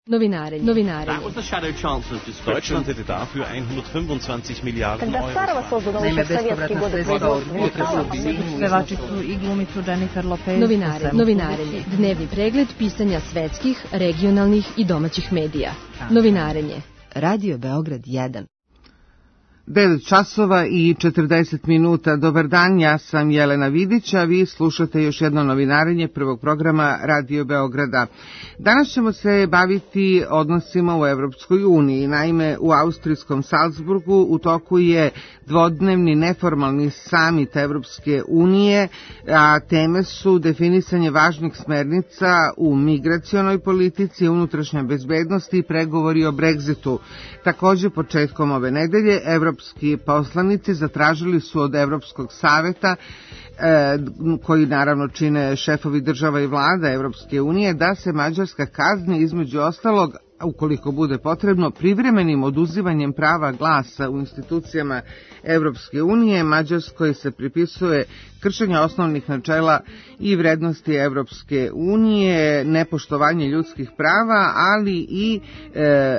Novinare. Deutschland hätte dafür 125 Miliarden Euro. Naime, bespovratna sredstva pevačicu i glumicu Jennifer Lopez. Novinarenje. Dnevni pregled pisanja svetskih, regionalnih i domaćih medija. Novinarenje. Radio Beograd 1. 9 časova i 40 minuta. Dobar dan, ja sam Jelena Vidić, a vi slušate još jedno novinarenje prvog programa Radio Beograda. Danas ćemo se baviti odnosima u Evropskoj uniji. Naime, u austrijskom Salzburgu u toku je dvodnevni neformalni samit Evropske unije, a teme su definisanje važnih smernica u migracionoj politici, unutrašnja bezbednosti i pregovori o Brexitu. Takođe, početkom ove nedelje, evropski poslanici zatražili su od Evropskog saveta, koji naravno čine šefovi država i vlada Evropske unije, da se Mađarska kazni između ostalog, ukoliko bude potrebno, privremenim oduzimanjem prava glasa u institucijama Evropske unije. Mađarskoj se pripisuje kršenje osnovnih načela i vrednosti Evropske unije, nepoštovanje ljudskih prava, ali i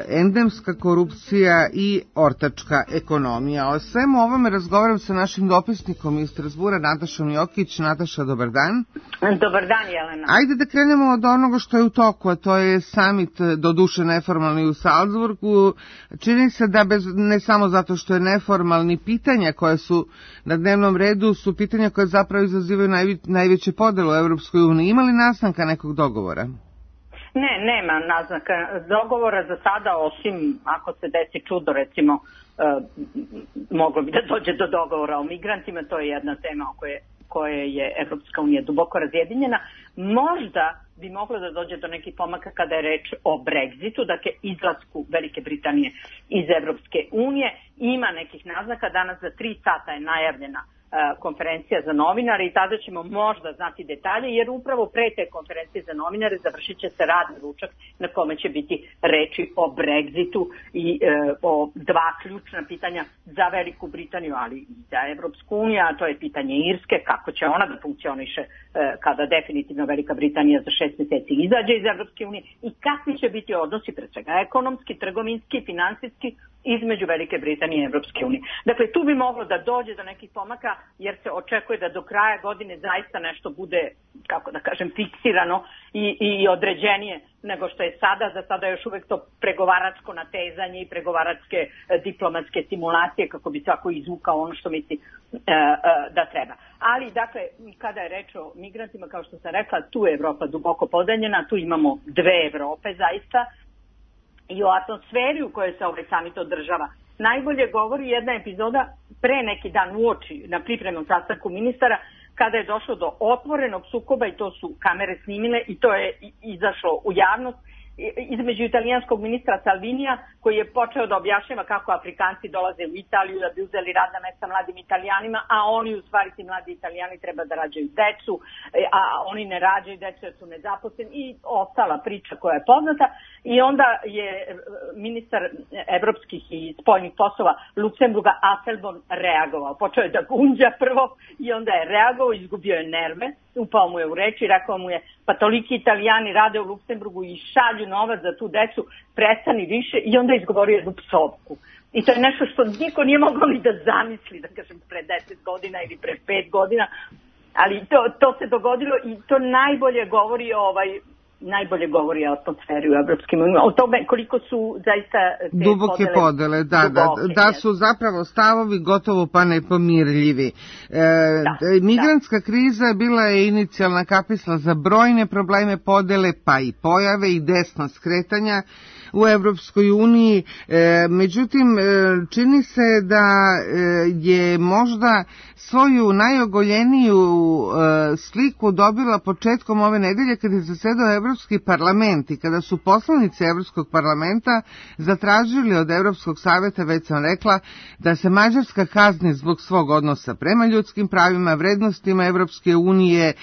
endemska korupcija i ortačka ekonomija. O svemu ovome razgovaram sa našim dopisnikom iz Strasbura, Natašom Jokić. Nataša, dobar dan. Dobar dan, Jelena. Ajde da krenemo od onoga što je u toku, a to je samit doduše neformalni u Salzburgu. Čini se da ne samo zato što je neformalni, pitanja koja su na dnevnom redu su pitanja koje zapravo izazivaju najveće podele u Evropskoj uniji. Ima li naznaka nekog dogovora? Ne, nema naznaka dogovora za sada, osim ako se desi čudo, recimo, moglo bi da dođe do dogovora o migrantima. To je jedna tema o koje je Evropska unija duboko razjedinjena. Možda bi moglo da dođe do nekih pomaka kada je reč o Brexitu, dakle izlasku Velike Britanije iz Evropske unije. Ima nekih naznaka, danas za 3 sata je najavljena konferencija za novinare i tada ćemo možda znati detalje, jer upravo pre te konferencije za novinare završit će se radni ručak na kome će biti reči o Brexitu i o 2 ključna pitanja za Veliku Britaniju, ali i za Evropsku uniju, a to je pitanje Irske, kako će ona da funkcioniše kada definitivno Velika Britanija za 6 meseci izađe iz Evropske unije i kakvi će biti odnosi, pre svega ekonomski, trgovinski, finansijski, između Velike Britanije i Evropske unije. Dakle, tu bi moglo da dođe do nekih pomaka, jer se očekuje da do kraja godine zaista nešto bude, kako da kažem, fiksirano i određenije nego što je sada. Za sada još uvek to pregovaračko natezanje i pregovaračke diplomatske simulacije kako bi svako izvukao ono što misli da treba. Ali, dakle, kada je reč o migrantima, kao što sam rekla, tu je Evropa duboko podeljena, tu imamo 2 Evrope zaista, i o atmosferi u kojoj se ovaj samit održava najbolje govori jedna epizoda pre neki dan uoči na pripremnom sastanku ministara, kada je došlo do otvorenog sukoba, i to su kamere snimile i to je izašlo u javnost, između italijanskog ministra Salvinija, koji je počeo da objašnjava kako Afrikanci dolaze u Italiju da bi uzeli radna mesta mladim Italijanima, a oni, u stvari, ti mladi Italijani treba da rađaju decu, a oni ne rađaju decu jer su nezaposleni, i ostala priča koja je poznata. I onda je ministar evropskih i spoljnih poslova Luksemburga Asselborn reagovao. Počeo je da gunđa prvo i onda je reagovao, izgubio je nerve, upao mu je u reč i rekao mu je: pa toliki Italijani rade u Luksemburgu i šalju novac za tu decu, prestani više. I onda je izgovorio jednu psovku. I to je nešto što niko nije mogao ni da zamisli, da kažem, pre 10 godina ili pre 5 godina. Ali to se dogodilo i to najbolje govori o atmosferi u Evropskim unijama, o tome koliko su zaista duboke podele, da su zapravo stavovi gotovo pa nepomirljivi. Migrantska kriza bila je inicijalna kapisla za brojne probleme podele, pa i pojave i desna skretanja u Evropskoj uniji. Međutim, čini se da je možda svoju najogoljeniju sliku dobila početkom ove nedelje kad je zasedao Evropski parlament i kada su poslanici Evropskog parlamenta zatražili od Evropskog saveta, već sam rekla, da se Mađarska kazni zbog svog odnosa prema ljudskim pravima, vrednostima Evropske unije,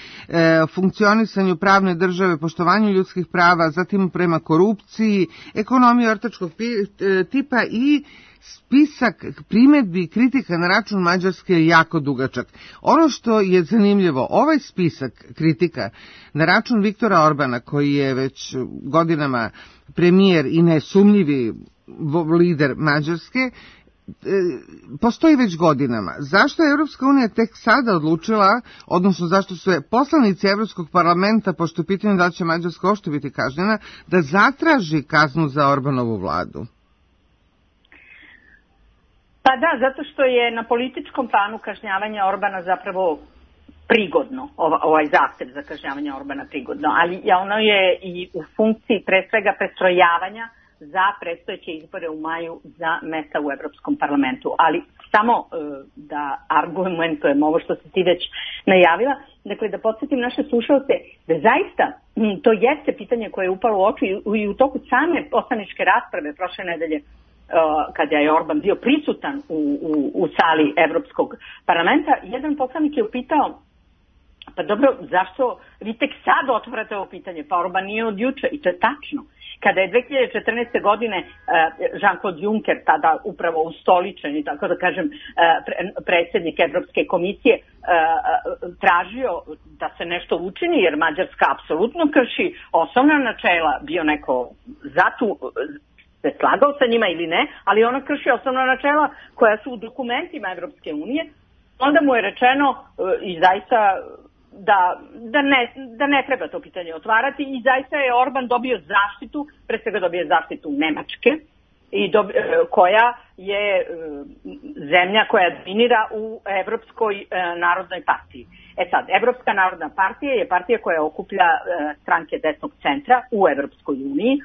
funkcionisanju pravne države, poštovanju ljudskih prava, zatim prema korupciji, ekonomiji ortačkog tipa, i spisak primedbi i kritika na račun Mađarske je jako dugačak. Ono što je zanimljivo, ovaj spisak kritika na račun Viktora Orbana, koji je već godinama premijer i nesumnjivi lider Mađarske, postoji već godinama. Zašto je Evropska unija tek sada odlučila, odnosno zašto su je poslanici Evropskog parlamenta, pošto je pitanje da li će Mađarska uopšte biti kažnjena, da zatraži kaznu za Orbanovu vladu? Pa da, zato što je na političkom planu kažnjavanja Orbana zapravo prigodno, ovaj zahtev za kažnjavanje Orbana prigodno, ali ono je i u funkciji pre svega prestrojavanja za predstojeće izbore u maju za mesta u Evropskom parlamentu. Ali samo da argumentujem ovo što si ti već najavila, dakle da podsjetim naše slušalce da zaista to jeste pitanje koje je upalo u oči i u toku same poslaničke rasprave prošle nedelje kada je Orban bio prisutan u sali Evropskog parlamenta. Jedan poslanik je upitao, pa dobro, zašto vi tek sad otvarate ovo pitanje? Pa Orban nije od juče, i to je tačno. Kada je 2014. godine Jean-Claude Juncker, tada upravo ustoličen, tako da kažem, predsjednik Evropske komisije, tražio da se nešto učini, jer Mađarska apsolutno krši osnovna načela, bio neko se slagao sa njima ili ne, ali ona krši osnovna načela koja su u dokumentima Evropske unije, onda mu je rečeno i zaista da ne treba to pitanje otvarati i zaista je Orban dobio zaštitu, pre svega dobio zaštitu Nemačke, koja je zemlja koja dominira u Evropskoj narodnoj partiji. Sad, Evropska narodna partija je partija koja okuplja stranke desnog centra u Evropskoj uniji,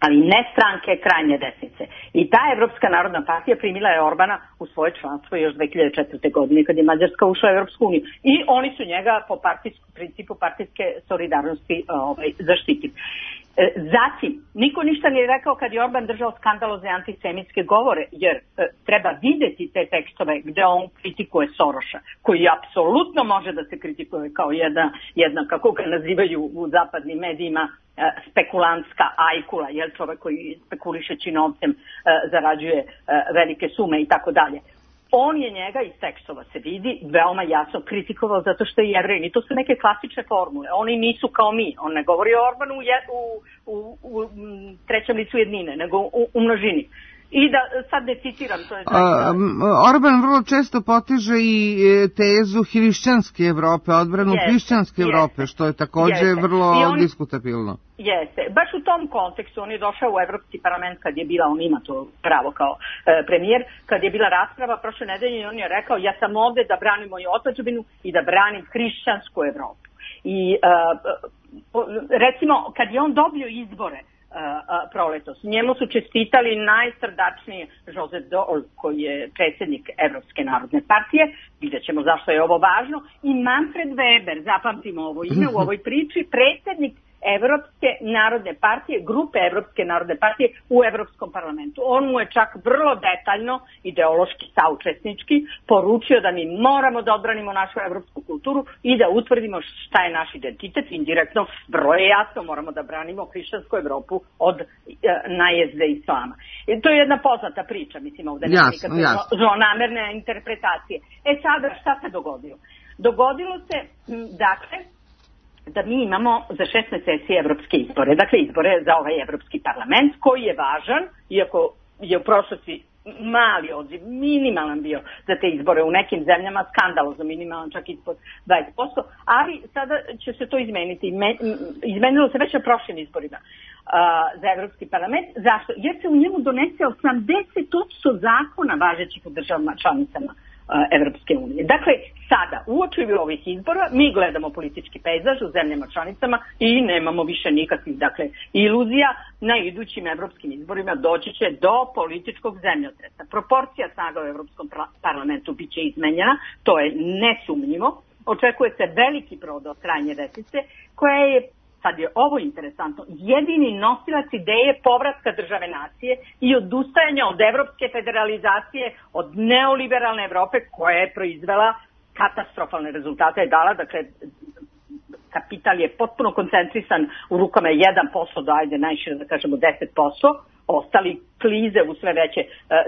ali ne stranke krajnje desnice. I ta Evropska narodna partija primila je Orbana u svoje članstvo još 2004. godine kad je Mađarska ušla u Evropsku uniju. I oni su njega po principu partijske solidarnosti zaštitili. Zatim, niko ništa nije rekao kad je Orban držao skandalozne antisemitske govore, jer treba videti te tekstove gde on kritikuje Soroša, koji apsolutno može da se kritikuje kao jedna kako ga nazivaju u zapadnim medijima, spekulantska ajkula, jel, čovek koji spekulišeći novcem zarađuje velike sume i tako dalje. On je njega iz tekstova se vidi veoma jasno kritikovao zato što je Jevrej. I to su neke klasične formule. Oni nisu kao mi. On ne govori o Orbanu u trećem licu jednine, nego u množini. I da sad ne citiram, to je... Orban vrlo često potiže i tezu hrišćanske Evrope, odbranu hrišćanske Evrope, što je također vrlo diskutabilno. Jeste. Baš u tom kontekstu on je došao u Evropski parlament kad je bila, on ima to pravo kao premijer, kad je bila rasprava prošle nedelje i on je rekao ja sam ovde da branim moju otadžbinu i da branim hrišćansku Evropu. I recimo kad je on dobio izbore proletos, njemu su čestitali najsrdačnije Joseph Daul, koji je predsjednik Evropske narodne partije, vidjet ćemo zašto je ovo važno, i Manfred Weber, zapamtimo ovo ime u ovoj priči, predsjednik Evropske narodne partije, grupe Evropske narodne partije u Evropskom parlamentu. On mu je čak vrlo detaljno, ideološki, saučesnički, poručio da mi moramo da odbranimo našu evropsku kulturu i da utvrdimo šta je naš identitet. Indirektno, vrlo je jasno, moramo da branimo hrišćansku Evropu od najezde islama. To je jedna poznata priča, mislim, ovdje nema nikakve zlonamerne interpretacije. Sada, šta se dogodilo? Dogodilo se, dakle, da mi imamo za 6 meseci evropske izbore, dakle izbore za ovaj Evropski parlament, koji je važan, iako je u prošlosti mali odziv, minimalan bio za te izbore, u nekim zemljama skandalozno minimalan, čak ispod 20%, ali sada će se to izmeniti. Izmenilo se već na prošlim izborima za Evropski parlament. Zašto? Jer se u njemu donese 80% zakona važećih u državama članicama Evropske unije. Dakle, sada, uoči ovih izbora, mi gledamo politički pejzaž u zemljama članicama i nemamo više nikakvih, dakle, iluzija. Na idućim evropskim izborima doći će do političkog zemljotresa. Proporcija snaga u Evropskom parlamentu bit će izmenjena, to je nesumnjivo. Očekuje se veliki prodor krajnje desnice, koja je, sad je ovo interesantno, jedini nosilac ideje povratka države nacije i odustajanja od evropske federalizacije, od neoliberalne Evrope koja je proizvela katastrofalne rezultate, je dala, dakle, kapital je potpuno koncentrisan u rukama 1% do, ajde, najšire da kažemo 10%, ostali klize u sve veće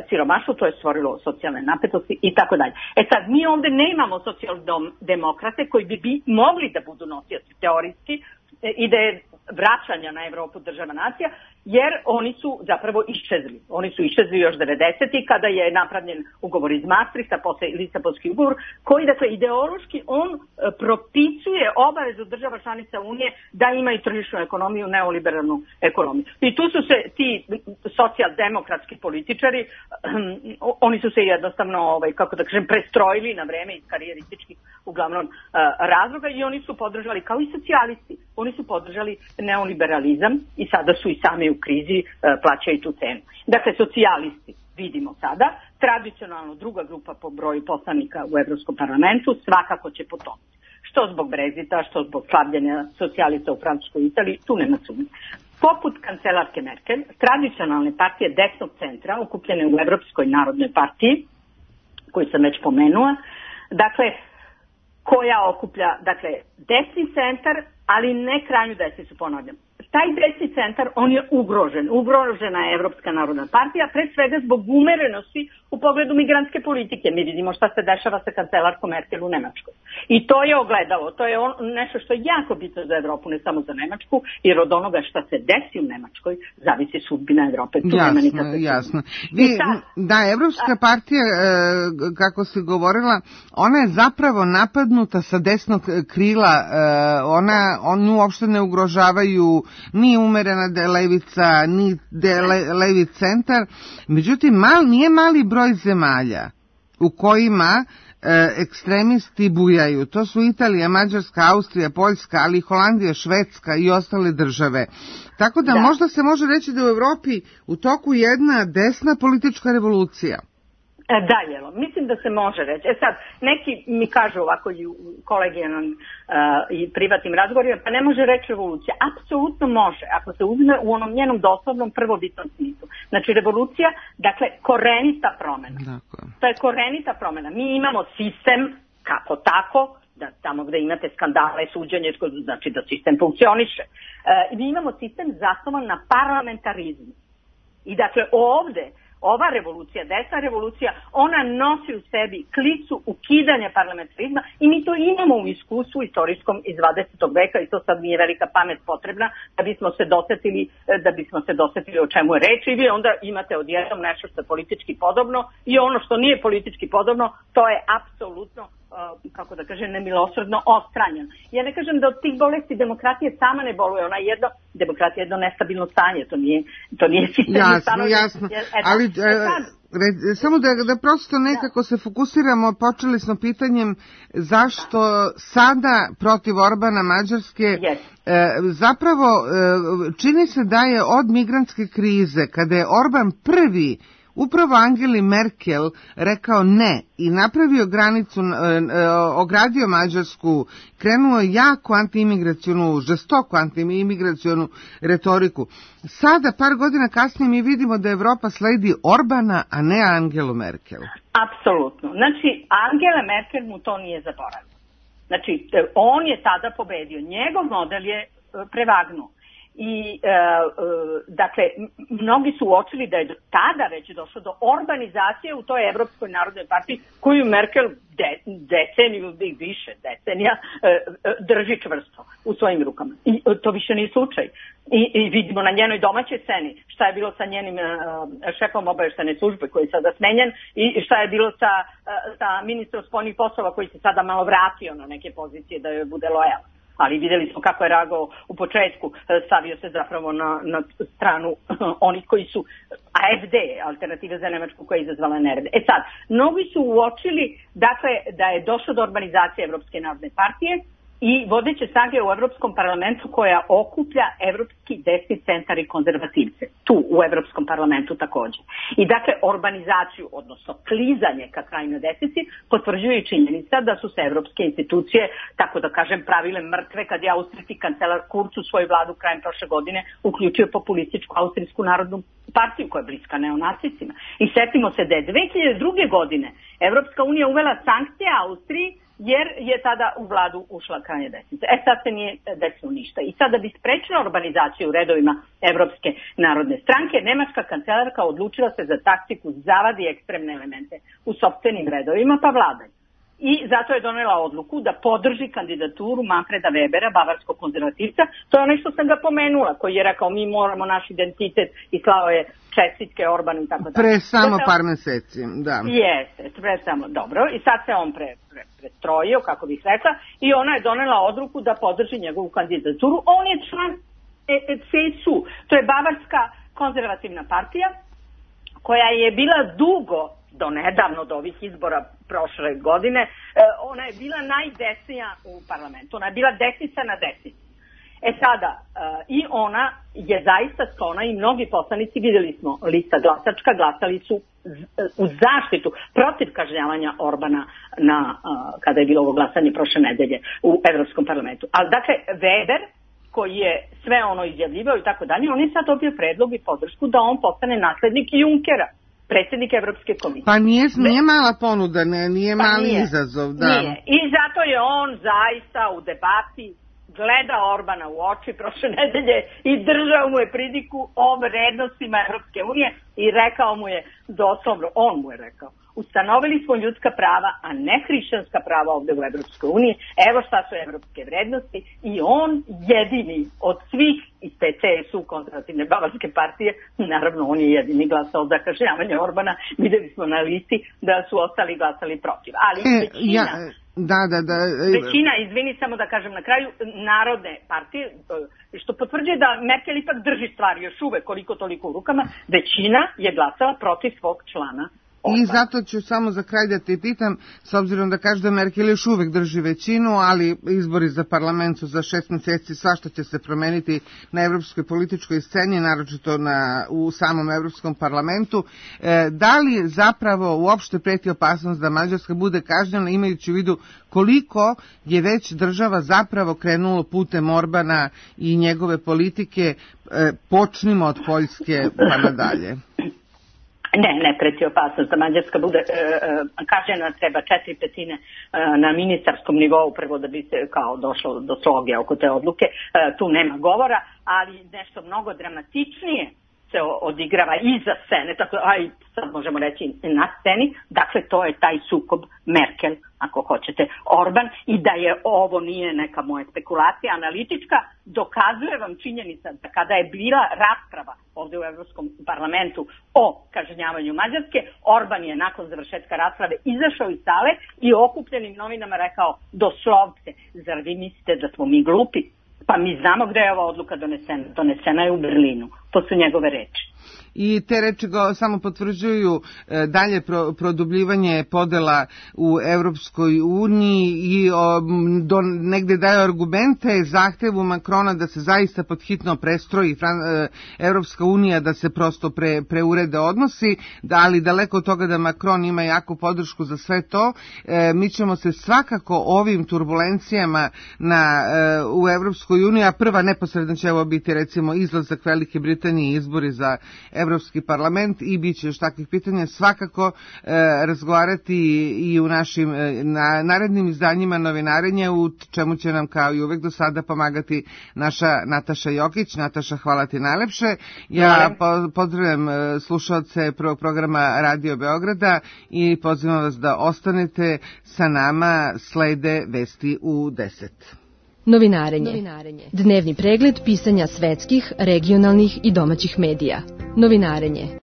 siromaštvo, to je stvorilo socijalne napetosti i tako dalje. Sad, mi ovde nemamo socijaldemokrate koji bi mogli da budu nosioci teorijski ideje vraćanja na Evropu država nacija, jer oni su zapravo iščezli. Oni su iščezli još 90. kada je napravljen ugovor iz Maastrichta, posle Lisabonski ugovor, koji, dakle, ideološki on propisuje obavezu država članica Unije da imaju tržišnu ekonomiju, neoliberalnu ekonomiju. I tu su se ti socijaldemokratski političari, oni su se jednostavno, kako da kažem, prestrojili na vreme iz karijerističkih uglavnom razloga i oni su podržali, kao i socijalisti, oni su podržali neoliberalizam i sada su i sami u krizi, plaćaju tu cenu. Dakle, socijalisti, vidimo sada, tradicionalno druga grupa po broju poslanika u Evropskom parlamentu, svakako će potomiti. Što zbog Brexita, što zbog slabljenja socijalista u Francuskoj i Italiji, tu nema sumnje. Poput kancelarke Merkel, tradicionalne partije desnog centra, okupljene u Evropskoj narodnoj partiji, koju sam već pomenula, dakle, koja okuplja, dakle, desni centar, ali ne krajnju desnicu, ponavljam. Taj desni centar, on je ugrožena je Evropska narodna partija, pre svega zbog umerenosti u pogledu migrantske politike. Mi vidimo šta se dešava sa kancelarkom Merkel u Nemačkoj. I to je ogledalo, to je nešto što je jako bitno za Evropu, ne samo za Nemačku, jer od onoga šta se desi u Nemačkoj zavisi sudbina Evrope. Jasno. Da, Evropska partija, kako si govorila, ona je zapravo napadnuta sa desnog krila, oni uopšte ne ugrožavaju ni umerena levica, ni levi centar. Međutim, nije mali broj zemalja u kojima ekstremisti bujaju. To su Italija, Mađarska, Austrija, Poljska, ali i Holandija, Švedska i ostale države. Tako da možda se može reći da u Evropi u toku jedna desna politička revolucija. Da, Jelo, mislim da se može reći. Sad, neki mi kažu ovako i u kolegijalnom i privatnim razgovorima, pa ne može reći revolucija. Apsolutno može, ako se uzme u onom njenom doslovnom prvobitnom smislu. Znači, revolucija, dakle, korenita promjena. Dakle. To je korenita promjena. Mi imamo sistem, kako tako, da tamo gde imate skandale, suđenje, znači da sistem funkcioniše. Mi imamo sistem zasnovan na parlamentarizmu. I dakle, ovde, ova revolucija, desna revolucija, ona nosi u sebi klicu ukidanja parlamentarizma i mi to imamo u iskustvu istorijskom iz 20. veka i to sad nije velika pamet potrebna da bismo se dosetili o čemu je reč i vi onda imate odjednom nešto što je politički podobno i ono što nije politički podobno, to je apsolutno, kako da kažem, nemilosrdno odstranjeno. Ja ne kažem da od tih bolesti demokratije sama ne boluje, demokratija je jedno nestabilno stanje, to nije sistem. Jasno, ali samo da prosto nekako se fokusiramo, počeli smo pitanjem zašto sada protiv Orbana Mađarske zapravo čini se da je od migrantske krize, kada je Orban prvi upravo Angeli Merkel rekao ne i napravio granicu, ogradio Mađarsku, krenuo jako žestoku antiimigracionu retoriku. Sada, par godina kasnije, mi vidimo da Evropa sledi Orbana, a ne Angelu Merkel. Apsolutno. Znači, Angela Merkel mu to nije zaboravio. Znači, on je tada pobedio. Njegov model je prevagnuo. I, dakle, mnogi su uočili da je tada već došlo do orbanizacije u toj Evropskoj narodnoj partiji koju Merkel deceniju i više decenija drži čvrsto u svojim rukama. I to više nije slučaj. I vidimo na njenoj domaćoj sceni šta je bilo sa njenim šefom obavještajne službe koji je sada smenjen i šta je bilo sa ministrom spoljnih poslova koji se sada malo vratio na neke pozicije da joj bude lojalan. Ali vidjeli smo kako je reagovao u početku, stavio se zapravo na stranu onih koji su AFD, Alternative za Nemačku, koja je izazvala nerede. Sad, mnogi su uočili, dakle, da je došlo do urbanizacije Evropske narodne partije i vodeće snage u Evropskom parlamentu koja okuplja Evropski desni centar i konzervativce. Tu u Evropskom parlamentu također. I dakle, urbanizaciju, odnosno klizanje ka krajnjoj desnici, potvrđuje i činjenica da su se evropske institucije, tako da kažem, pravile mrtve kad je austrijski kancelar Kurz u svoju vladu krajem prošle godine uključio populističku Austrijsku narodnu partiju koja je bliska neonacicima. I setimo se da je 2002. godine Evropska unija uvela sankcije Austriji jer je tada u vladu ušla krajnja desnica. Sad se nije desilo ništa. I sada bi sprečila urbanizaciju u redovima Evropske narodne stranke, nemačka kancelarka odlučila se za taktiku zavadi ekstremne elemente u sopstvenim redovima pa vladaju. I zato je donela odluku da podrži kandidaturu Manfreda Webera, bavarskog konzervativca. To je ono što sam ga pomenula, koji je rekao mi moramo naš identitet i slao je čestitke Orbanu i tako dalje. Pre samo par meseci, da. Jeste, pre samo, dobro. I sad se on prestrojio, kako bih rekla, i ona je donela odluku da podrži njegovu kandidaturu. On je član CSU, to je bavarska konzervativna partija, koja je bila dugo, do nedavno, do ovih izbora prošle godine, ona je bila najdesnija u parlamentu. Ona je bila desnica na desnici. Sada, i ona je zaista sklona i mnogi poslanici, vidjeli smo, lista glasačka, glasali su u zaštitu protiv kažnjavanja Orbana kada je bilo ovo glasanje prošle nedelje u Evropskom parlamentu. Ali dakle, Weber, koji je sve ono izjavljivao i tako dalje, on je sad dobio predlog i podršku da on postane naslednik Junckera, predsjednik Evropske komisije. Pa nije mala ponuda, nije mali izazov. Da. Nije. I zato je on zaista u debati gleda Orbana u oči prošle nedelje i držao mu je pridiku o vrednostima Evropske unije i rekao mu je doslovno, on mu je rekao, ustanovili smo ljudska prava, a ne hrišćanska prava ovdje u Evropskoj uniji, evo šta su evropske vrednosti, i on jedini od svih iz te CSU, konzervativne bavarske partije, naravno on je jedini glasao za kažnjavanje Orbana, vidjeli smo na listi da su ostali glasali protiv, ali većina... Većina, izvini samo da kažem na kraju, narodne partije, što potvrđuje da Merkel ipak drži stvari još uvek koliko toliko u rukama, većina je glasala protiv svog člana. I zato ću samo za kraj da te pitam, s obzirom da kaže da Merkel još uvek drži većinu, ali izbori za parlament su za 6 mjeseci, svašta će se promeniti na evropskoj političkoj sceni, naročito u samom Evropskom parlamentu. Da li zapravo uopšte preti opasnost da Mađarska bude kažnjena, imajući u vidu koliko je već država zapravo krenulo putem Orbana i njegove politike, počnimo od Poljske pa nadalje? Ne preti opasnost da Mađarska bude kažnjena, treba 4/5 na ministarskom nivou prvo da bi se kao došlo do sloge oko te odluke, tu nema govora, ali nešto mnogo dramatičnije se odigrava iza scene, tako sad možemo reći na sceni, dakle to je taj sukob Merkel, ako hoćete, Orban, i da je ovo nije neka moja spekulacija analitička, dokazuje vam činjenica da kada je bila rasprava ovdje u Evropskom parlamentu o kažnjavanju Mađarske, Orban je nakon završetka rasprave izašao iz sale i okupljenim novinama rekao doslovce, zar vi mislite da smo mi glupi? Pa mi znamo gde je ova odluka donesena. Donesena je u Berlinu. To su njegove reči. I te reči samo potvrđuju dalje produbljivanje podela u Evropskoj uniji i negde daju argumente zahtevu Makrona da se zaista podhitno prestroji Evropska unija, da se prosto preurede odnosi, ali daleko od toga da Makron ima jaku podršku za sve to. Mi ćemo se svakako ovim turbulencijama u Evropskoj uniji, a prva neposredno će ovo biti recimo izlazak Velike Britanije i izbori za Evropski parlament i bit će još takvih pitanja, svakako razgovarati i u našim narednim izdanjima novinarenja, u čemu će nam kao i uvek do sada pomagati naša Nataša Jokić. Nataša, hvala ti najlepše. Ja pozdravljam slušalce prvog programa Radio Beograda i pozivam vas da ostanete sa nama, slede vesti u 10. Novinarenje. Dnevni pregled pisanja svetskih, regionalnih i domaćih medija. Novinarenje.